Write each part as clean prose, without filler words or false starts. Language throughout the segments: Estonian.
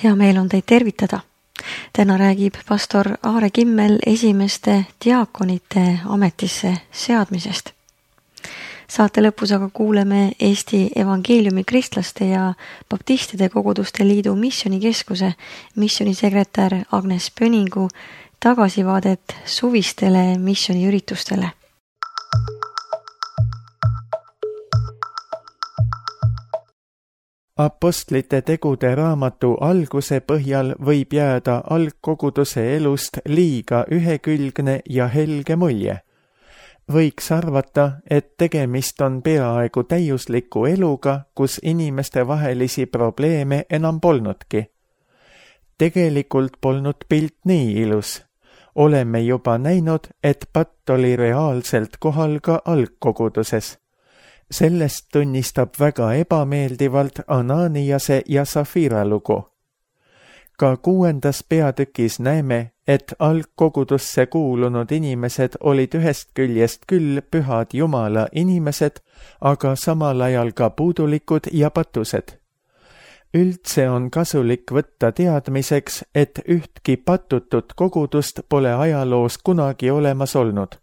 Hea meel on teid tervitada. Täna räägib pastor Aare Kimmel esimeste diaakonite ametisse seadmisest. Saate lõpus aga kuuleme Eesti Evangeeliumi Kristlaste ja Baptistide Koguduste Liidu Missionikeskuse missionisekretär Agnes Pöningu tagasivaadet suvistele missioniüritustele. Apostlite tegude raamatu alguse põhjal võib jääda algkoguduse elust liiga ühekülgne ja helge mulje. Võiks arvata, et tegemist on peaaegu täiusliku eluga, kus inimeste vahelisi probleeme enam polnudki. Tegelikult polnud pilt nii ilus. Oleme juba näinud, et patt oli reaalselt kohal ka algkoguduses. Sellest tunnistab väga ebameeldivalt Ananiase ja Safira lugu. Ka 6. peatükis näeme, et algkogudusse kuulunud inimesed olid ühest küljest küll pühad Jumala inimesed, aga samal ajal ka puudulikud ja patused. Üldse on kasulik võtta teadmiseks, et ühtki patutut kogudust pole ajaloos kunagi olemas olnud.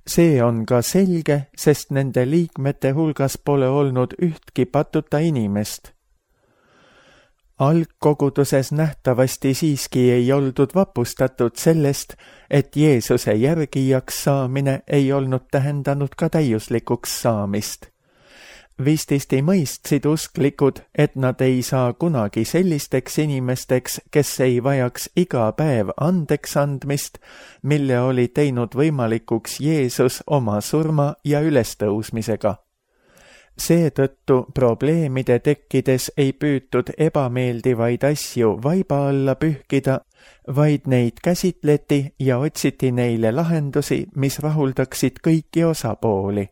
See on ka selge, sest nende liikmete hulgas pole olnud ühtki patuta inimest. Algkoguduses nähtavasti siiski ei oldud vapustatud sellest, et Jeesuse järgijaks saamine ei olnud tähendanud ka täiuslikuks saamist. Vististi mõistsid usklikud, et nad ei saa kunagi sellisteks inimesteks, kes ei vajaks iga päev andeks andmist, mille oli teinud võimalikuks Jeesus oma surma ja ülestõusmisega. Seetõttu probleemide tekkides ei püütud ebameeldivaid asju vaiba alla pühkida, vaid neid käsitleti ja otsiti neile lahendusi, mis rahuldaksid kõiki osapooli.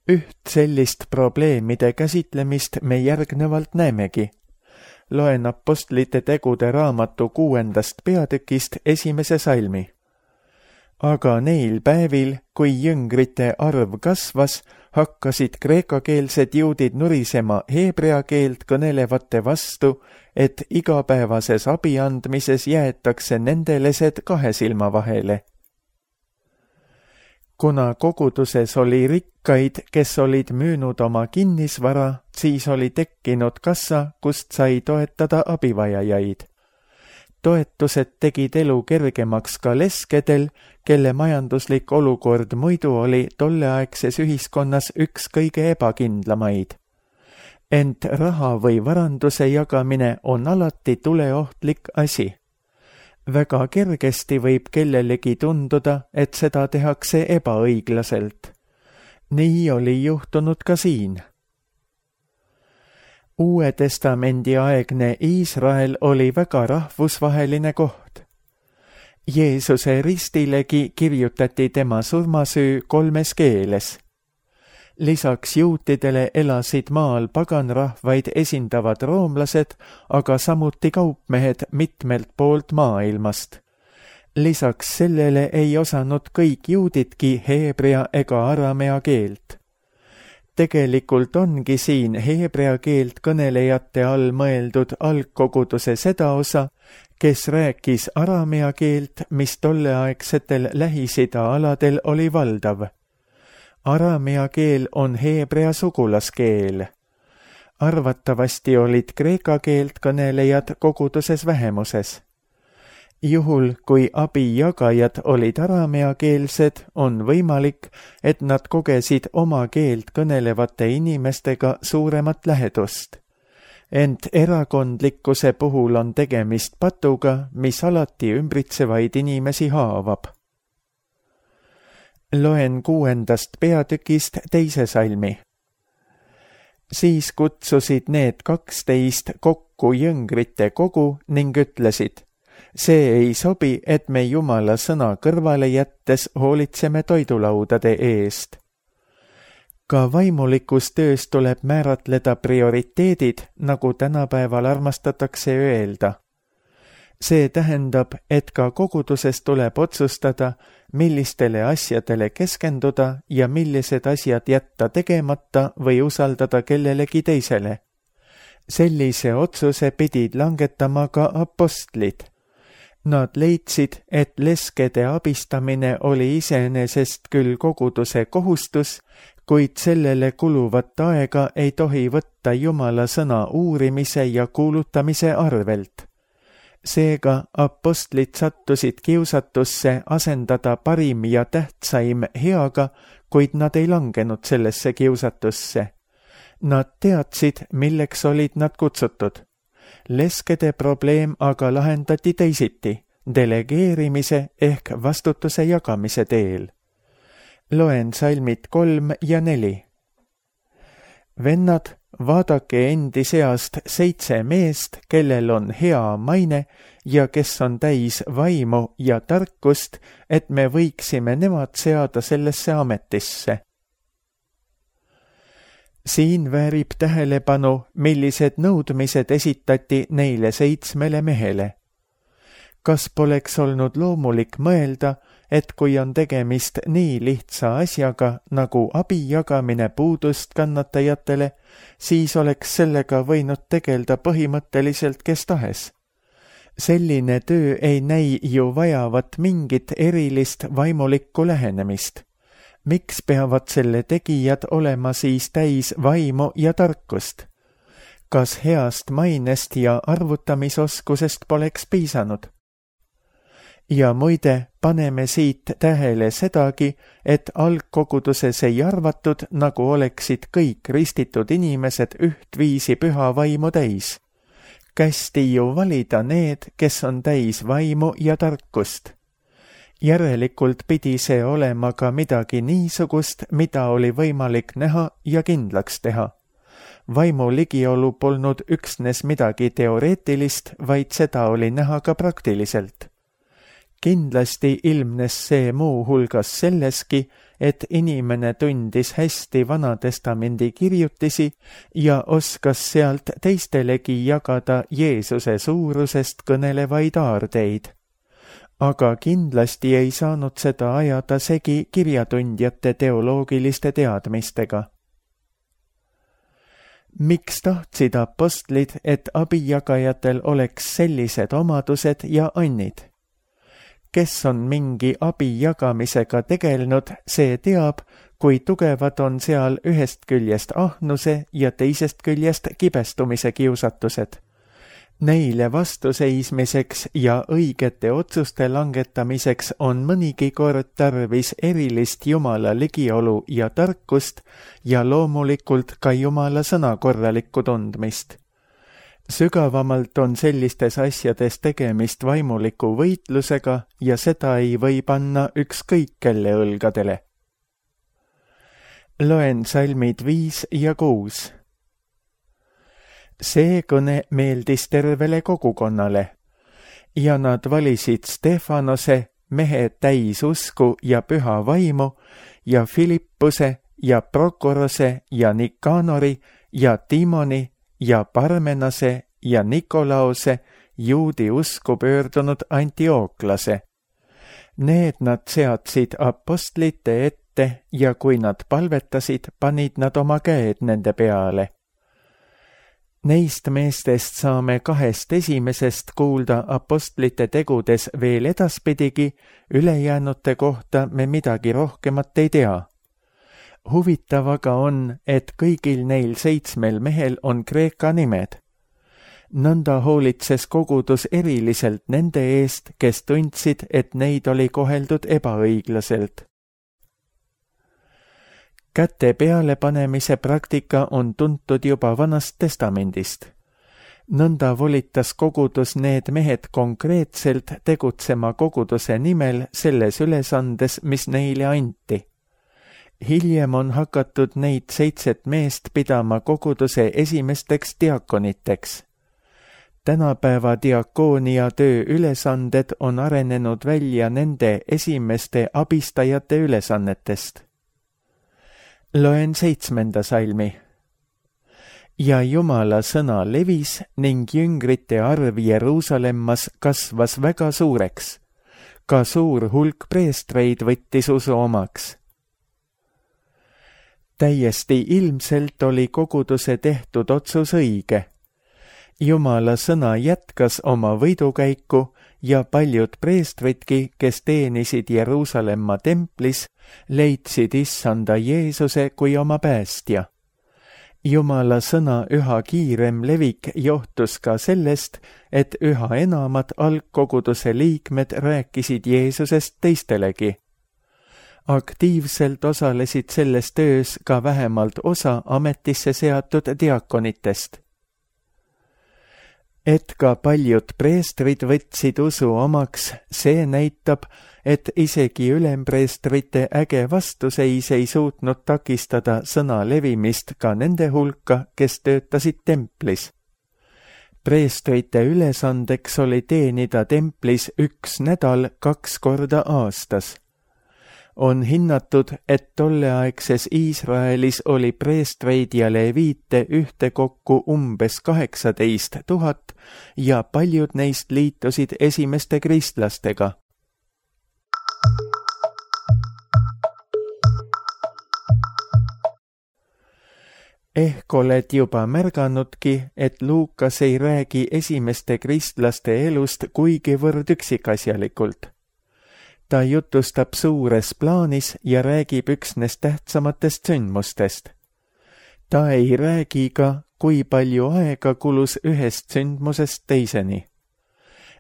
Üht sellist probleemide käsitlemist me järgnevalt näemegi. Loen Apostlite tegude raamatu 6. peatükist 1. salmi. Aga neil päevil, kui jüngrite arv kasvas, hakkasid kreekakeelsed juudid nurisema heebrea keelt kõnelevate vastu, et igapäevases abiandmises jäetakse nende lesed 2 silma vahele. Kuna koguduses oli rikkaid, kes olid müünud oma kinnisvara, siis oli tekkinud kassa, kust sai toetada abivajajaid. Toetused tegid elu kergemaks ka leskedel, kelle majanduslik olukord muidu oli tolleaegses ühiskonnas üks kõige ebakindlamaid. Ent raha või varanduse jagamine on alati tuleohtlik asi. Väga kergesti võib kellelegi tunduda, et seda tehakse ebaõiglaselt. Nii oli juhtunud ka siin. Uue Testamendi aegne Iisrael oli väga rahvusvaheline koht. Jeesuse ristilegi kirjutati tema surmasüü 3 keeles. Lisaks juutidele elasid maal paganrahvaid esindavad roomlased, aga samuti kaupmehed mitmelt poolt maailmast. Lisaks sellele ei osanud kõik juudidki heebrea ega aramea keelt. Tegelikult ongi siin heebrea keelt kõnelejate all mõeldud algkoguduse seda osa, kes rääkis aramea keelt, mis tolleaegsetel Lähis-Ida aladel oli valdav. Aramea keel on heebrea sugulaskeel. Arvatavasti olid kreeka keelt kõnelejad koguduses vähemuses. Juhul, kui abijagajad olid arameakeelsed, on võimalik, et nad kogesid oma keelt kõnelevate inimestega suuremat lähedust. Ent erakondlikkuse puhul on tegemist patuga, mis alati ümbritsevaid inimesi haavab. Loen 6. peatükist 2. salmi. Siis kutsusid need 12 kokku jüngrite kogu ning ütlesid, see ei sobi, et me Jumala sõna kõrvale jättes hoolitseme toidulaudade eest. Ka vaimulikus töös tuleb määratleda prioriteedid, nagu tänapäeval armastatakse öelda. See tähendab, et ka koguduses tuleb otsustada, millistele asjadele keskenduda ja millised asjad jätta tegemata või usaldada kellelegi teisele. Sellise otsuse pidid langetama ka apostlid. Nad leidsid, et leskede abistamine oli iseenesest küll koguduse kohustus, kuid sellele kuluvat aega ei tohi võtta Jumala sõna uurimise ja kuulutamise arvelt. Seega apostlid sattusid kiusatusse asendada parim ja tähtsaim heaga, kuid nad ei langenud sellesse kiusatusse. Nad teadsid, milleks olid nad kutsutud. Leskede probleem aga lahendati teisiti, delegeerimise ehk vastutuse jagamise teel. Loen salmid 3 ja 4. Vennad, vaadake endi seast 7 meest, kellel on hea maine ja kes on täis vaimu ja tarkust, et me võiksime nemad seada sellesse ametisse. Siin väärib tähelepanu, millised nõudmised esitati neile 7 mehele. Kas poleks olnud loomulik mõelda, et kui on tegemist nii lihtsa asjaga nagu abi jagamine puudust kannatajatele, siis oleks sellega võinud tegelda põhimõtteliselt kes tahes. Selline töö ei näi ju vajavat mingit erilist vaimulikku lähenemist. Miks peavad selle tegijad olema siis täis vaimu ja tarkust? Kas heast mainest ja arvutamisoskusest poleks piisanud? Ja muide, paneme siit tähele sedagi, et algkoguduses ei arvatud, nagu oleksid kõik ristitud inimesed ühtviisi püha vaimu täis. Kästi ju valida need, kes on täis vaimu ja tarkust. Järelikult pidi see olema ka midagi niisugust, mida oli võimalik näha ja kindlaks teha. Vaimu ligiolu polnud üksnes midagi teoreetilist, vaid seda oli näha ka praktiliselt. Kindlasti ilmnes see muu hulgas selleski, et inimene tundis hästi Vanatestamendi kirjutisi ja oskas sealt teistelegi jagada Jeesuse suurusest kõnelevaid aardeid. Aga kindlasti ei saanud seda ajada segi kirjatundjate teoloogiliste teadmistega. Miks tahtsid apostlid, et abijagajatel oleks sellised omadused ja annid? Kes on mingi abi jagamisega tegelenud, see teab, kui tugevad on seal ühest küljest ahnuse ja teisest küljest kibestumise kiusatused. Neile vastuseismiseks ja õigete otsuste langetamiseks on mõnigi kord tarvis erilist Jumala ligiolu ja tarkust ja loomulikult ka Jumala sõna korralikku tundmist. Sügavamalt on sellistes asjades tegemist vaimuliku võitlusega ja seda ei või panna ükskõik kelle õlgadele. Loen salmid 5 ja 6. See kõne meeldis tervele kogukonnale ja nad valisid Stefanose, mehe täis usku ja püha vaimu, ja Filippuse ja Prokorose ja Nikanori ja Timoni ja Parmenase ja Nikolaose, juudi usku pöördunud Antiooklase. Need nad seadsid apostlite ette ja kui nad palvetasid, panid nad oma käed nende peale. Neist meestest saame 2 esimesest kuulda apostlite tegudes veel edaspidigi, ülejäänute kohta me midagi rohkemat ei tea. Huvitav aga on, et kõigil neil 7 mehel on kreeka nimed. Nõnda hoolitses kogudus eriliselt nende eest, kes tundsid, et neid oli koheldud ebaõiglaselt. Käte pealepanemise praktika on tuntud juba Vanast Testamendist. Nõnda volitas kogudus need mehed konkreetselt tegutsema koguduse nimel selles ülesandes, mis neile anti. Hiljem on hakatud neid 7 meest pidama koguduse esimesteks diakoniteks. Tänapäeva diakoonia töö ülesanded on arenenud välja nende esimeste abistajate ülesannetest. Loen 7. salmi. Ja Jumala sõna levis ning jüngrite arv Jeruusalemmas kasvas väga suureks. Ka suur hulk preestreid võttis usu omaks. Täiesti ilmselt oli koguduse tehtud otsus õige. Jumala sõna jätkas oma võidukäiku ja paljud preestritki, kes teenisid Jeruusalemma templis, leidsid issanda Jeesuse kui oma päästja. Jumala sõna üha kiirem levik johtus ka sellest, et üha enamad algkoguduse liikmed rääkisid Jeesusest teistelegi. Aktiivselt osalesid selles töös ka vähemalt osa ametisse seatud diakonitest. Et ka paljud preestrid võtsid usu omaks, see näitab, et isegi ülempreestrite äge vastuseis ei suutnud takistada sõna levimist ka nende hulka, kes töötasid templis. Preestrite ülesandeks oli teenida templis 1 nädal 2 korda aastas. On hinnatud, et tolleaegses Iisraelis oli preestreid ja leviite ühtekokku umbes 18 000 ja paljud neist liitusid esimeste kristlastega. Ehk oled juba märganudki, et Luukas ei räägi esimeste kristlaste elust kuigivõrd üksikasjalikult. Ta jutustab suures plaanis ja räägib üksnes tähtsamatest sündmustest. Ta ei räägi ka, kui palju aega kulus ühest sündmusest teiseni.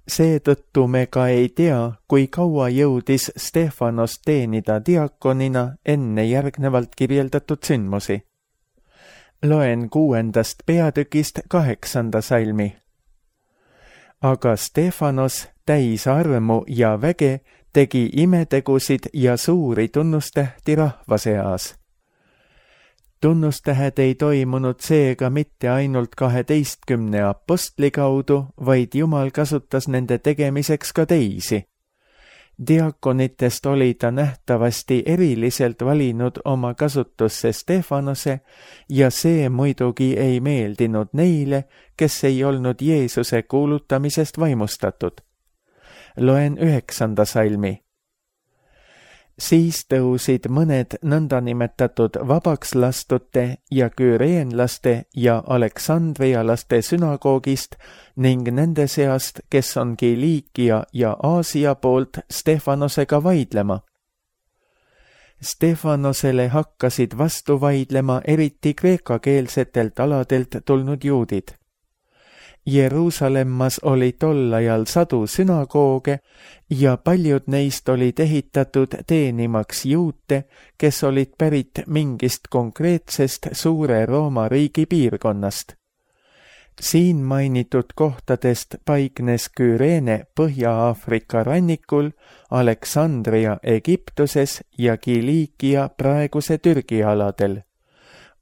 Seetõttu me ka ei tea, kui kaua jõudis Stefanos teenida diakonina enne järgnevalt kirjeldatud sündmusi. Loen 6. peatükist 8. salmi. Aga Stefanos, täis armu ja väge, tegi imetegusid ja suuri tunnustähti rahva seas. Tunnustähed ei toimunud seega mitte ainult 12 apostli kaudu, vaid Jumal kasutas nende tegemiseks ka teisi. Diakonitest oli ta nähtavasti eriliselt valinud oma kasutusse Stefanose ja see muidugi ei meeldinud neile, kes ei olnud Jeesuse kuulutamisest vaimustatud. Loen 9. salmi. Siis tõusid mõned nõndanimetatud vabaks lastute ja küreenlaste ja aleksandrialaste sünagoogist ning nende seast, kes on Kiliikia ja Aasia poolt Stefanosega vaidlema. Stefanosele hakkasid vastu vaidlema eriti kreekakeelsetelt aladelt tulnud juudid. Jeruusalemmas oli tol ajal sadu sünagooge ja paljud neist olid ehitatud teenimaks juute, kes olid pärit mingist konkreetsest suure Rooma riigi piirkonnast. Siin mainitud kohtadest paiknes Küreene Põhja-Aafrika rannikul, Aleksandria Egiptuses ja Kiliikia praeguse Türgi aladel.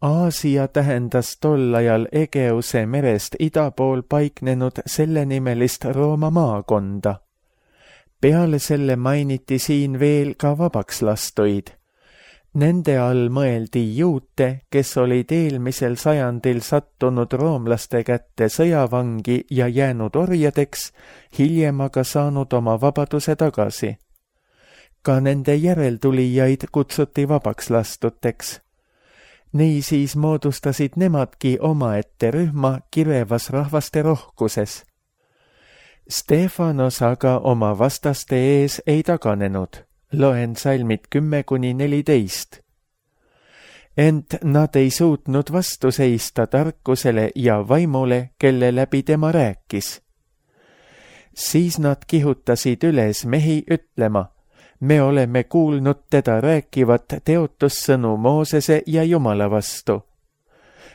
Aasia tähendas tol ajal Egeuse merest ida pool paiknenud sellenimelist Rooma maakonda. Peale selle mainiti siin veel ka vabakslastuid. Nende all mõeldi juute, kes olid eelmisel sajandil sattunud roomlaste kätte sõjavangi ja jäänud orjadeks, hiljem aga saanud oma vabaduse tagasi. Ka nende järeltulijaid kutsuti vabakslastuteks. Niisiis moodustasid nemadki omaette rühma kirevas rahvaste rohkuses. Stefanos aga oma vastaste ees ei taganenud. Loen salmid 10-14. Ent nad ei suutnud vastu seista tarkusele ja vaimule, kelle läbi tema rääkis. Siis nad kihutasid üles mehi ütlema, me oleme kuulnud teda rääkivat teotussõnu Moosese ja Jumala vastu.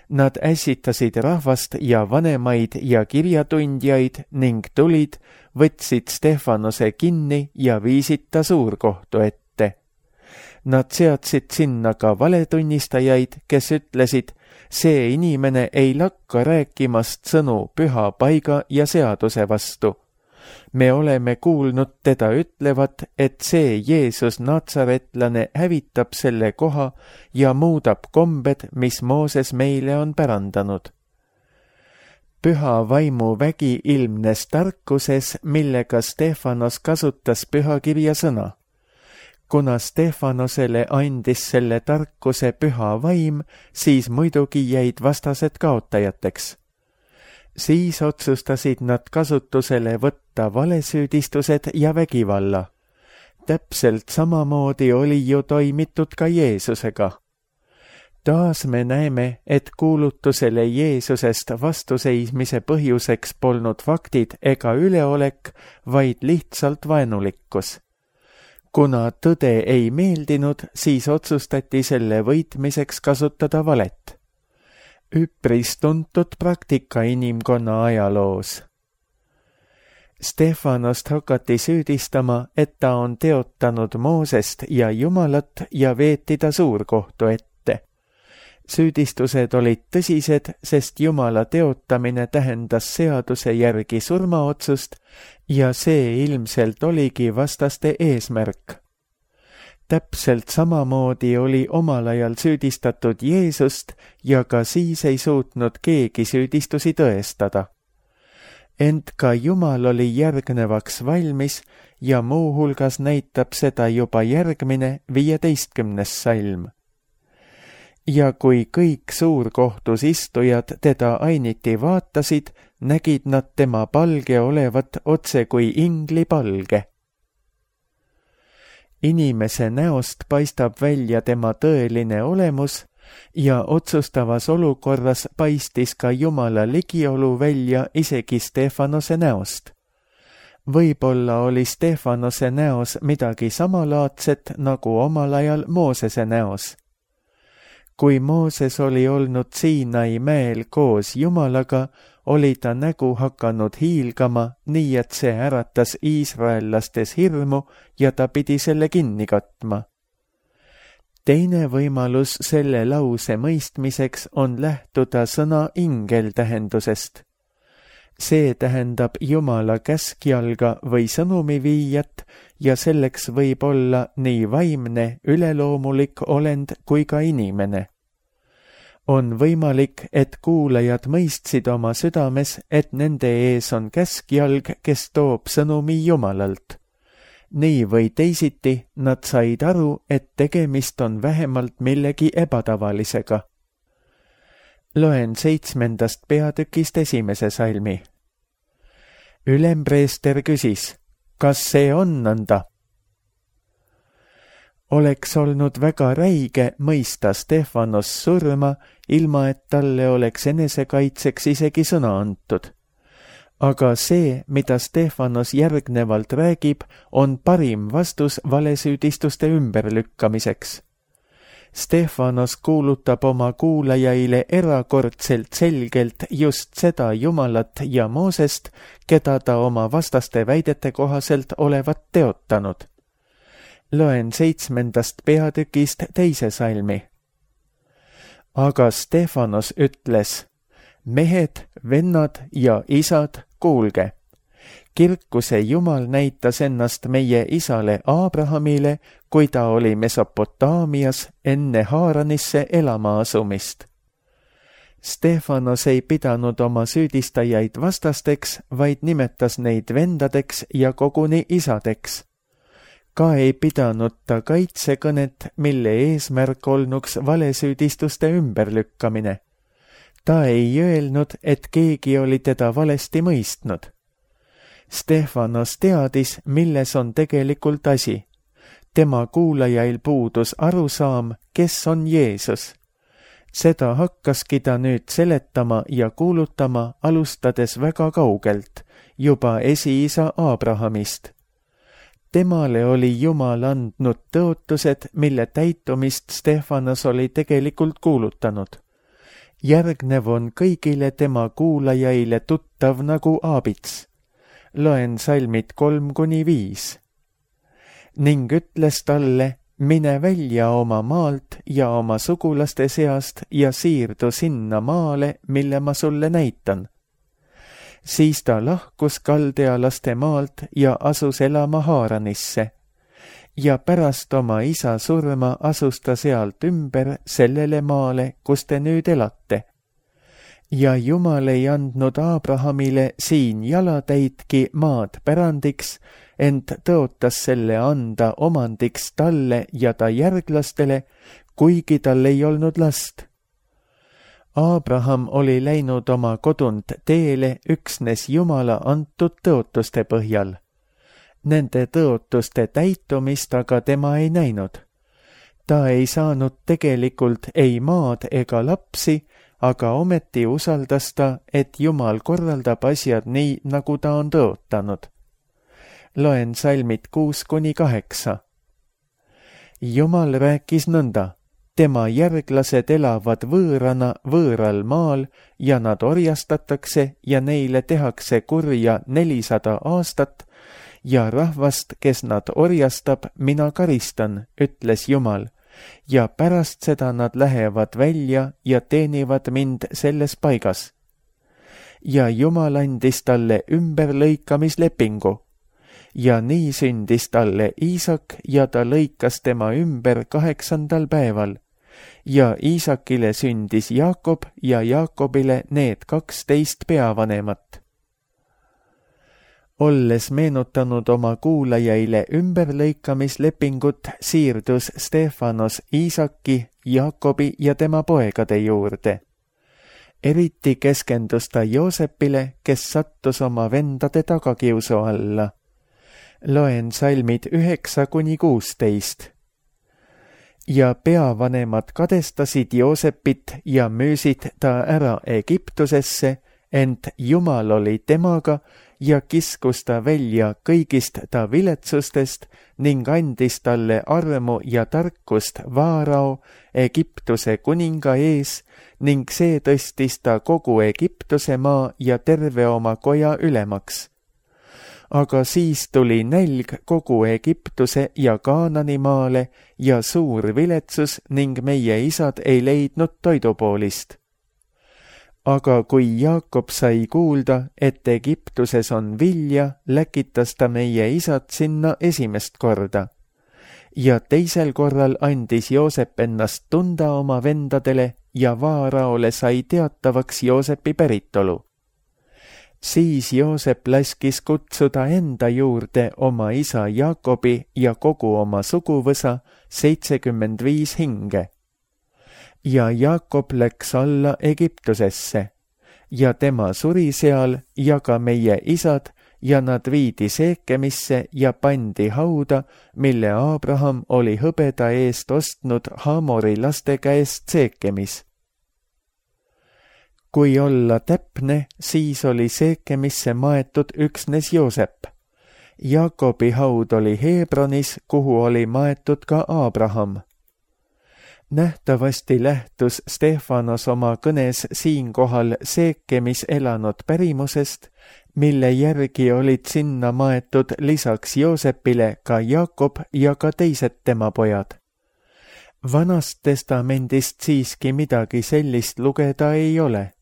Nad ässitasid rahvast ja vanemaid ja kirjatundjaid ning tulid, võtsid Stefanose kinni ja viisid ta suurkohtu ette. Nad seadsid sinna ka valetunnistajaid, kes ütlesid, see inimene ei lakka rääkimast sõnu püha paiga ja seaduse vastu. Me oleme kuulnud teda ütlevat, et see Jeesus natsaretlane hävitab selle koha ja muudab kombed, mis Mooses meile on pärandanud. Püha vaimu vägi ilmnes tarkuses, millega Stefanos kasutas pühakirja sõna. Kuna Stefanosele andis selle tarkuse püha vaim, siis muidugi jäid vastased kaotajateks. Siis otsustasid nad kasutusele võtta valesüüdistused ja vägivalla. Täpselt samamoodi oli ju toimitud ka Jeesusega. Taas me näeme, et kuulutusele Jeesusest vastuseismise põhjuseks polnud faktid ega üleolek, vaid lihtsalt vaenulikkus. Kuna tõde ei meeldinud, siis otsustati selle võitmiseks kasutada valet. Üpris tuntud praktika inimkonna ajaloos. Stefanost hakati süüdistama, et ta on teotanud Moosest ja Jumalat ja veeti ta suurkohtu ette. Süüdistused olid tõsised, sest Jumala teotamine tähendas seaduse järgi surmaotsust ja see ilmselt oligi vastaste eesmärk. Täpselt samamoodi oli omal ajal süüdistatud Jeesust ja ka siis ei suutnud keegi süüdistusi tõestada. Ent ka Jumal oli järgnevaks valmis ja muuhulgas näitab seda juba järgmine 15. salm. Ja kui kõik suurkohtus istujad teda ainiti vaatasid, nägid nad tema palge olevat otse kui ingli palge. Inimese näost paistab välja tema tõeline olemus ja otsustavas olukorras paistis ka Jumala ligiolu välja isegi Stefanose näost. Võib-olla oli Stefanose näos midagi samalaadset nagu omal ajal Moosese näos. Kui Mooses oli olnud Siinai mäel koos Jumalaga, oli ta nägu hakanud hiilgama, nii et see äratas iisraellastes hirmu ja ta pidi selle kinni katma. Teine võimalus selle lause mõistmiseks on lähtuda sõna ingel tähendusest. See tähendab Jumala käskjalga või sõnumiviijat ja selleks võib olla nii vaimne, üleloomulik olend kui ka inimene. On võimalik, et kuulajad mõistsid oma südames, et nende ees on käskjalg, kes toob sõnumi Jumalalt. Nii või teisiti nad said aru, et tegemist on vähemalt millegi ebatavalisega. Loen 7. peatükist 1. salmi. Ülempreester küsis, kas see on nõnda? Oleks olnud väga räige mõista Stefanos surma, ilma et talle oleks enesekaitseks isegi sõna antud. Aga see, mida Stefanos järgnevalt räägib, on parim vastus valesüüdistuste ümberlükkamiseks. Stefanos kuulutab oma kuulajaile erakordselt selgelt just seda Jumalat ja Moosest, keda ta oma vastaste väidete kohaselt olevat teotanud. Loen 7. peatükist 2. salmi. Aga Stefanos ütles, mehed, vennad ja isad, kuulge. Kirkuse Jumal näitas ennast meie isale Abrahamile, kui ta oli Mesopotaamias enne Haaranisse elama asumist. Stefanos ei pidanud oma süüdistajaid vastasteks, vaid nimetas neid vendadeks ja koguni isadeks. Ka ei pidanud ta kaitsekõnet, mille eesmärk olnuks valesüüdistuste ümberlükkamine. Ta ei öelnud, et keegi oli teda valesti mõistnud. Stefanos teadis, milles on tegelikult asi. Tema kuulajail puudus arusaam, kes on Jeesus. Seda hakkaski ta nüüd seletama ja kuulutama, alustades väga kaugelt, juba esiisa Abrahamist. Temale oli Jumal andnud tõotused, mille täitumist Stefanos oli tegelikult kuulutanud. Järgnev on kõigile tema kuulajaile tuttav nagu aabits. Loen salmid 3-5. Ning ütles talle, mine välja oma maalt ja oma sugulaste seast ja siirdu sinna maale, mille ma sulle näitan. Siis ta lahkus kaldealaste maalt ja asus elama Haaranisse. Ja pärast oma isa surma asus ta sealt ümber sellele maale, kus te nüüd elate. Ja Jumal ei andnud Abrahamile siin jalatäitki maad pärandiks, ent tõotas selle anda omandiks talle ja ta järglastele, kuigi tal ei olnud last. Abraham oli läinud oma kodunt teele üksnes Jumala antud tõotuste põhjal. Nende tõotuste täitumist aga tema ei näinud. Ta ei saanud tegelikult ei maad ega lapsi, aga ometi usaldas ta, et Jumal korraldab asjad nii, nagu ta on tõotanud. Loen salmid 6-8. Jumal rääkis nõnda: tema järglased elavad võõrana võõral maal ja nad orjastatakse ja neile tehakse kurja 400 aastat ja rahvast, kes nad orjastab, mina karistan, ütles Jumal, ja pärast seda nad lähevad välja ja teenivad mind selles paigas. Ja Jumal andis talle ümberlõikamislepingu. Ja nii sündis talle Iisak ja ta lõikas tema ümber 8. päeval. Ja Iisakile sündis Jaakob ja Jaakobile need 12 peavanemat. Olles meenutanud oma kuulajaile ümberlõikamislepingut, siirdus Stefanos Iisaki, Jaakobi ja tema poegade juurde. Eriti keskendus ta Joosepile, kes sattus oma vendade tagakiusu alla. Loen salmid 9-16. Ja peavanemad kadestasid Joosepit ja müüsid ta ära Egiptusesse, ent Jumal oli temaga ja kiskus ta välja kõigist ta viletsustest ning andis talle armu ja tarkust Vaarao, Egiptuse kuninga ees, ning see tõstis ta kogu Egiptuse maa ja terve oma koja ülemaks. Aga siis tuli nälg kogu Egiptuse ja Kaanani maale ja suur viletsus ning meie isad ei leidnud toidupoolist. Aga kui Jaakob sai kuulda, et Egiptuses on vilja, läkitas ta meie isad sinna esimest korda. Ja teisel korral andis Joosep ennast tunda oma vendadele ja Vaaraole sai teatavaks Joosepi päritolu. Siis Joosep laskis kutsuda enda juurde oma isa Jaakobi ja kogu oma suguvõsa 75 hinge. Ja Jaakob läks alla Egiptusesse ja tema suri seal ja ka meie isad ja nad viidi Seekemisse ja pandi hauda, mille Abraham oli hõbeda eest ostnud Hamori laste käest Seekemis. Kui olla täpne, siis oli Seekemisse maetud üksnes Joosep. Jaakobi haud oli Hebronis, kuhu oli maetud ka Abraham. Nähtavasti lähtus Stefanos oma kõnes siinkohal Seekemis elanud pärimusest, mille järgi olid sinna maetud lisaks Joosepile ka Jaakob ja ka teised tema pojad. Vanast testamendist siiski midagi sellist lugeda ei ole.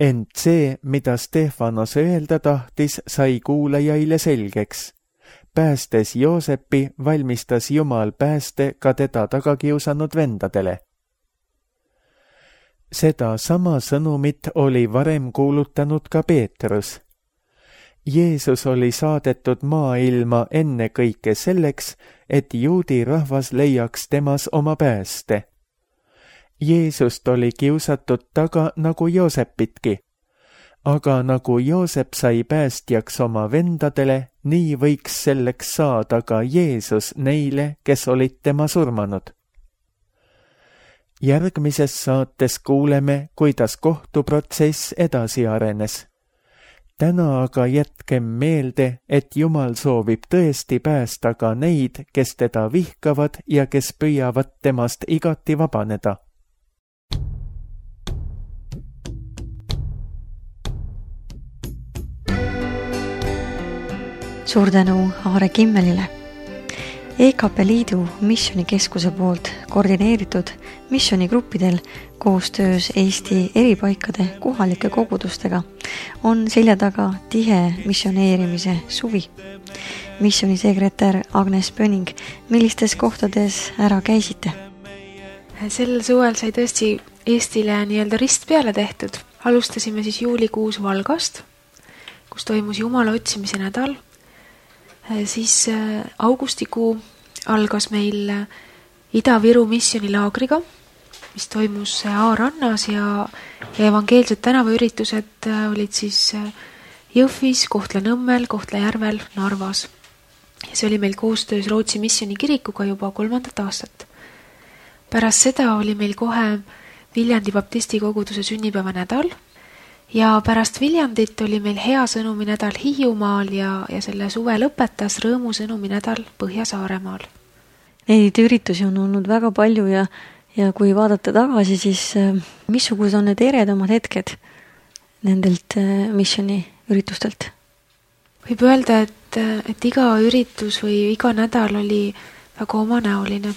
Ent see, mida Stefanos öelda tahtis, sai kuulajaile selgeks. Päästes Joosepi, valmistas Jumal pääste ka teda tagakiusanud vendadele. Seda sama sõnumit oli varem kuulutanud ka Peetrus. Jeesus oli saadetud maailma ennekõike selleks, et juudi rahvas leiaks temas oma pääste. Jeesust oli kiusatud taga nagu Joosepitki. Aga nagu Joosep sai päästjaks oma vendadele, nii võiks selleks saada ka Jeesus neile, kes olid tema surmanud. Järgmises saates kuuleme, kuidas kohtuprotsess edasi arenes. Täna aga jätkem meelde, et Jumal soovib tõesti päästa ka neid, kes teda vihkavad ja kes püüavad temast igati vabaneda. Suur tänu Aare Kimmelile. EKP Liidu missionikeskuse poolt koordineeritud missionigruppidel koostöös Eesti eripaikade kohalike kogudustega on selja taga tihe missioneerimise suvi. Missionisekretär Agnes Pöning, millistes kohtades ära käisite? Sel suvel sai tõesti Eestile nii-öelda rist peale tehtud. Alustasime siis juulikuus Valgast, kus toimus Jumala otsimise nädal. Siis augustikuu algas meil Ida-Viru missionilaagriga mis toimus A-rannas ja evangeelsed tänavaüritused olid siis Jõhvis, Kohtla-Nõmmel, Kohtla-Järvel, Narvas. Ja see oli meil koostöös Rootsi missionikirikuga juba 3. aastat. Pärast seda oli meil kohe Viljandi baptisti koguduse sünnipäeva nädal ja pärast Viljandit oli meil hea sõnumi nädal Hiiumaal ja selle suve lõpetas rõõmu sõnumi nädal Põhja-Saaremaal. Neid üritusi on olnud väga palju ja kui vaadata tagasi, siis missugused on need eredamad hetked nendelt missioniüritustelt? Võib öelda, et iga üritus või iga nädal oli väga omanäoline.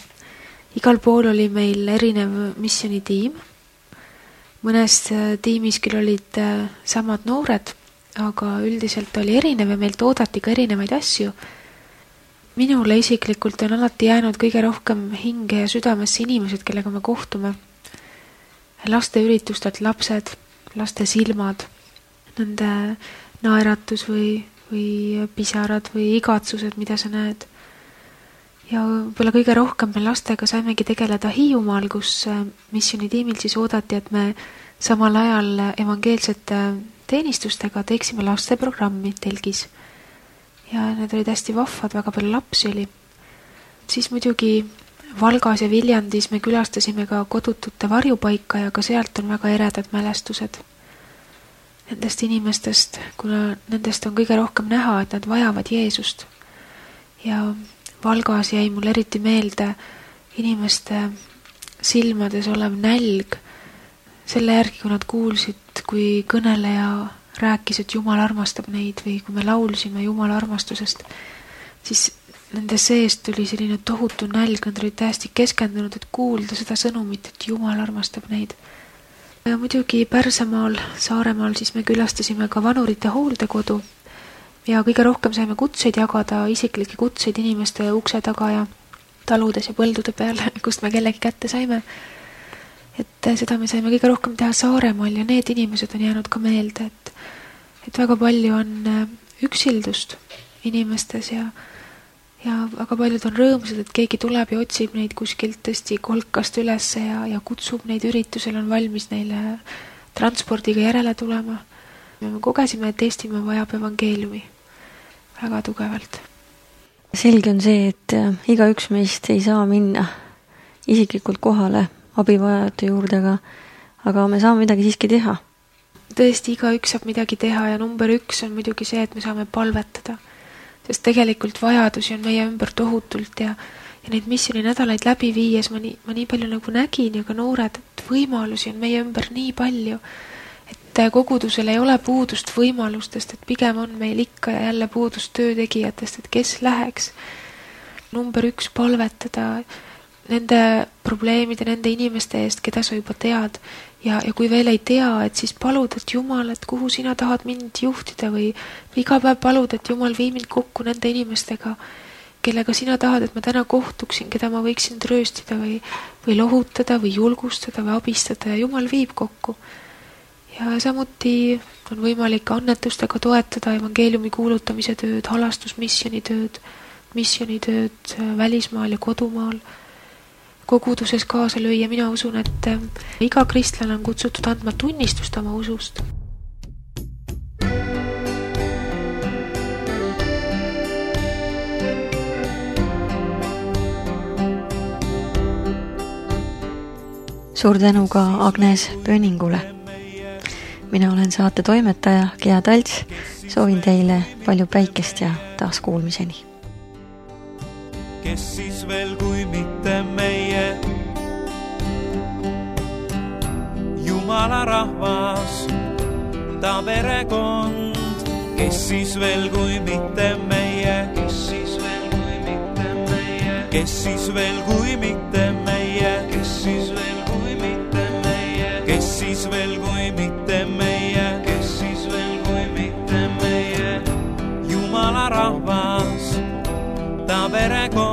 Igal pool oli meil erinev missionitiim. Mõnes tiimis küll olid samad noored, aga üldiselt oli erinev ja meilt oodati ka erinevaid asju. Minule isiklikult on alati jäänud kõige rohkem hinge ja südamesse inimesed, kellega me kohtume. Laste üritustelt lapsed, laste silmad, nende naeratus või pisarad või igatsused, mida sa näed. Ja võib-olla kõige rohkem me lastega saimegi tegeleda Hiiumaal, kus missionitiimil siis oodati, et me samal ajal evangeelsete teenistustega teeksime lasteprogrammi telgis. Ja need olid hästi vahvad, väga palju lapsi oli. Siis muidugi Valgas ja Viljandis me külastasime ka kodutute varjupaika ja ka sealt on väga eredad mälestused nendest inimestest, kuna nendest on kõige rohkem näha, et nad vajavad Jeesust. Ja Valgas jäi mul eriti meelde inimeste silmades olev nälg selle järgi, kui nad kuulsid, kui kõneleja rääkis, et Jumal armastab neid või kui me laulsime Jumala armastusest, siis nende seest tuli selline tohutu nälg, nad olid täiesti keskendunud, et kuulda seda sõnumit, et Jumal armastab neid. Ja muidugi Pärsamaal, Saaremaal siis me külastasime ka vanurite hooldekodu ja kõige rohkem saime kutseid jagada, isiklikke kutseid inimeste ukse taga ja taludes ja põldude peal, kust me kellegi kätte saime. Et seda me saime kõige rohkem teha Saaremaal ja need inimesed on jäänud ka meelde, et väga palju on üksildust inimestes ja väga paljud on rõõmsad, et keegi tuleb ja otsib neid kuskilt tõesti kolkast ülesse ja kutsub neid üritusel, on valmis neile transpordiga järele tulema. Ja me kogesime, et Eestimaa vajab evangeeliumi väga tugevalt. Selge on see, et igaüks meist ei saa minna isiklikult kohale abivajajate juurde, aga me saame midagi siiski teha. Tõesti, igaüks saab midagi teha ja number 1 on muidugi see, et me saame palvetada. Sest tegelikult vajadusi on meie ümber tohutult ja neid missioni-nädalaid läbi viies ma nii palju nagu nägin ja ka noored, et võimalusi on meie ümber nii palju, et kogudusel ei ole puudust võimalustest, et pigem on meil ikka ja jälle puudust töötegijatest, et kes läheks. Number 1 palvetada nende probleemide, nende inimeste eest, keda sa juba tead ja kui veel ei tea, et siis palud, et Jumal, et kuhu sina tahad mind juhtida või iga päev palud, et Jumal vii mind kokku nende inimestega, kellega sina tahad, et ma täna kohtuksin, keda ma võiksin trööstida või lohutada või julgustada või abistada ja Jumal viib kokku. Ja samuti on võimalik annetustega toetada evangeeliumi kuulutamise tööd, halastusmissionitööd, missionitööd välismaal ja kodumaal, koguduses kaasa lüüa. Mina usun, et iga kristlane on kutsutud andma tunnistust oma usust. Suur tänu ka Agnes Pööningule. Mina olen saate toimetaja Gea Talts. Soovin teile palju päikest ja taas kuulmiseni. Kes siis veel kui mitte meie Jumala rahvas, ta perekond. Kes siis veel kui mitte meie, kes siis veel kui mitte meie, kes siis veel kui mitte meie, kes siis veel kui mitte meie, kes siis veel kui mitte meie, kes siis veel kui mitte meie Jumala rahvas, ta perekond.